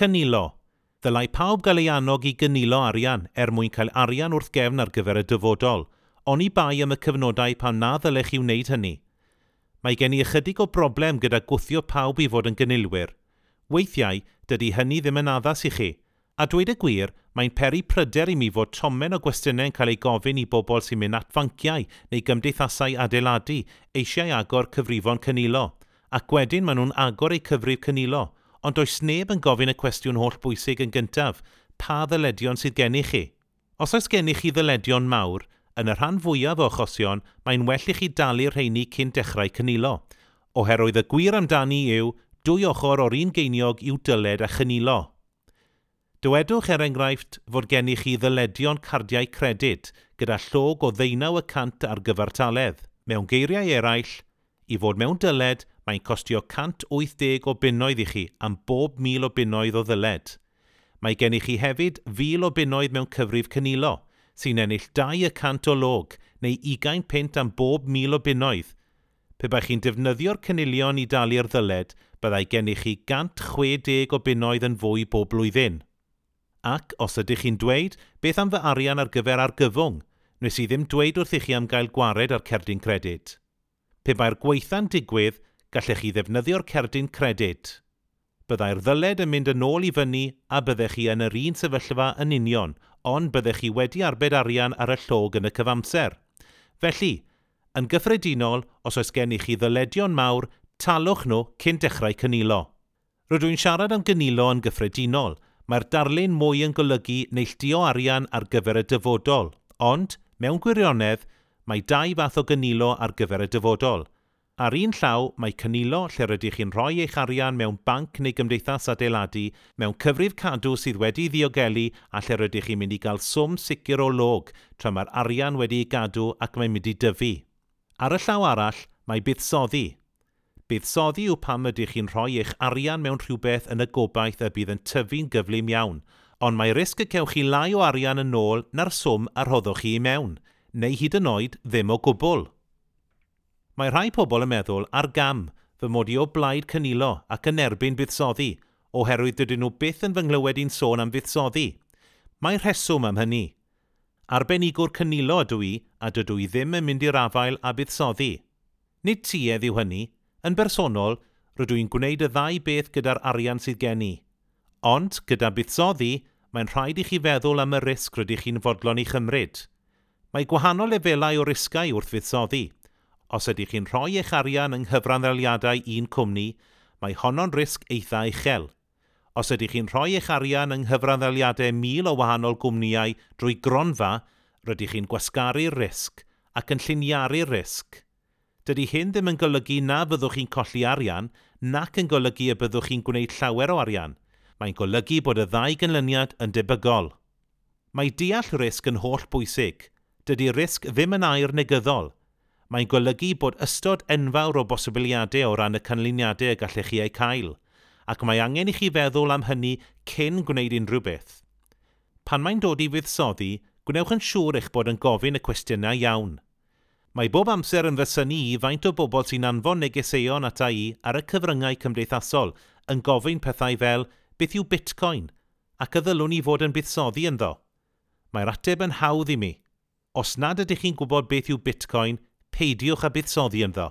Cynilo. Ddylai pawb gael ei annog i gynilo arian er mwyn cael arian wrth gefn ar gyfer y dyfodol, oni bai am y cyfnodau pan na ddylech chi wneud hynny. Mae gen i ychydig o broblem gyda gwthio pawb i fod yn gynilwyr. Weithiau, dydy hynny ddim yn addas i chi. A dweud y gwir, mae'n peri pryder i mi fod tomen o gwestiynau'n cael ei gofyn i bobl sy'n mynd at fanciau neu gymdeithasau adeiladu eisiau agor cyfrifon cynilo, ac wedyn maen nhw'n agor eu cyfrif cynilo, ond does neb yn gofyn y cwestiwn holl bwysig yn gyntaf, pa ddyledion sydd gennych chi? Os oes gennych chi ddyledion mawr, yn y rhan fwyaf o achosion, mae'n well i chi dalu'r rheini cyn dechrau cynilo. Oherwydd y gwir amdani yw, dwy ochr o'r un geiniog yw dyled a chynilo. Dywedwch er enghraifft fod gennych chi ddyledion cardiau credyd gyda llog o 19% ar gyfartaledd. Mewn geiriau eraill, i fod mewn dyled, mae'n costio 180 o bunnoedd i chi am bob 1,000 o bunnoedd o ddyled. Mae gennych chi hefyd 1,000 o bunnoedd mewn cyfrif cynilo, sy'n ennill 2% o log neu 20 punt am bob 1,000 o bunnoedd. Pe baech chi'n defnyddio'r cynilion i dalu'r ddyled, byddai gennych chi 160 o bunnoedd yn fwy bob blwyddyn. Ac, os ydych chi'n dweud, beth am fy arian ar gyfer argyfwng? Wnes i ddim dweud wrthych chi am gael gwared ar cerdyn credyd. Pe bai'r gwaetha'n digwydd, gallech chi ddefnyddio'r cerdyn credyd. Byddai'r ddyled yn mynd yn ôl i fyny a byddech chi yn yr un sefyllfa yn union, ond byddech chi wedi arbed arian ar y llog yn y cyfamser. Felly, yn gyffredinol, os oes gennych chi ddyledion mawr, talwch nhw cyn dechrau cynilo. Rydw i'n siarad am gynilo yn gyffredinol, mae'r darlun mwy yn golygu neilltuo arian ar gyfer y dyfodol, ond, mewn gwirionedd, mae dau fath o gynilo ar gyfer y dyfodol. Ar un llaw, mae cynilo lle rydych chi'n rhoi eich arian mewn banc neu gymdeithas adeiladu, mewn cyfrif cadw sydd wedi ddiogelu a lle rydych chi'n mynd i gael swm sicr o log tra mae'r arian wedi'i gadw ac mae'n mynd i dyfu. Ar y llaw arall, mae buddsoddi. Buddsoddi yw pam ydych chi'n rhoi eich arian mewn rhywbeth yn y gobaith y bydd yn tyfu'n gyflym iawn, ond mae risg y cewch chi lai o arian yn ôl na'r swm a rhoddwch chi i mewn, neu hyd yn oed ddim o gwbl. Mae rhai pobl yn meddwl ar gam fy mod i o blaid cynilo ac yn erbyn buddsoddi, oherwydd dydyn nhw byth yn fy nghlywed i'n sôn am fuddsoddi. Mae rheswm am hynny. Arbenigwr cynilo ydw i a dydw i ddim yn mynd i'r afael â buddsoddi. Nid tuedd yw hynny. Yn bersonol, rydw i'n gwneud y ddau beth gyda'r arian sydd gen i. Ond, gyda buddsoddi, mae'n rhaid i chi feddwl am y risg rydych chi'n fodlon ei chymryd. Mae gwahanol lefelau o risgau wrth fuddsoddi. Os ydych chi'n rhoi eich arian yng nghyfranddaliadau un cwmni, mae honno'n risg eitha uchel. Os ydych chi'n rhoi eich arian yng nghyfranddaliadau 1,000 o wahanol gwmnïau drwy gronfa, rydych chi'n gwasgaru'r risg ac yn lliniaru'r risg. Dydy hyn ddim yn golygu na fyddwch chi'n colli arian, nac yn golygu y byddwch chi'n gwneud llawer o arian. Mae'n golygu bod y ddau gynlyniad yn debygol. Mae deall risg yn holl bwysig. Dydy risg ddim yn air negyddol. Mae'n golygu bod ystod enfawr o bosibiliadau o ran y canlyniadau y gallech chi eu cael, ac mae angen i chi feddwl am hynny cyn gwneud unrhyw beth. Pan mae'n dod i fuddsoddi, gwnewch yn siŵr eich bod yn gofyn y cwestiynau iawn. Mae bob amser yn fy synnu i faint o bobl sy'n anfon negeseuon ata i ar y cyfryngau cymdeithasol yn gofyn pethau fel beth yw Bitcoin ac y ddylwn i fod yn buddsoddi ynddo. Mae'r ateb yn hawdd i mi. Os nad ydych chi'n gwybod beth yw Bitcoin, peidiwch â buddsoddi ynddo.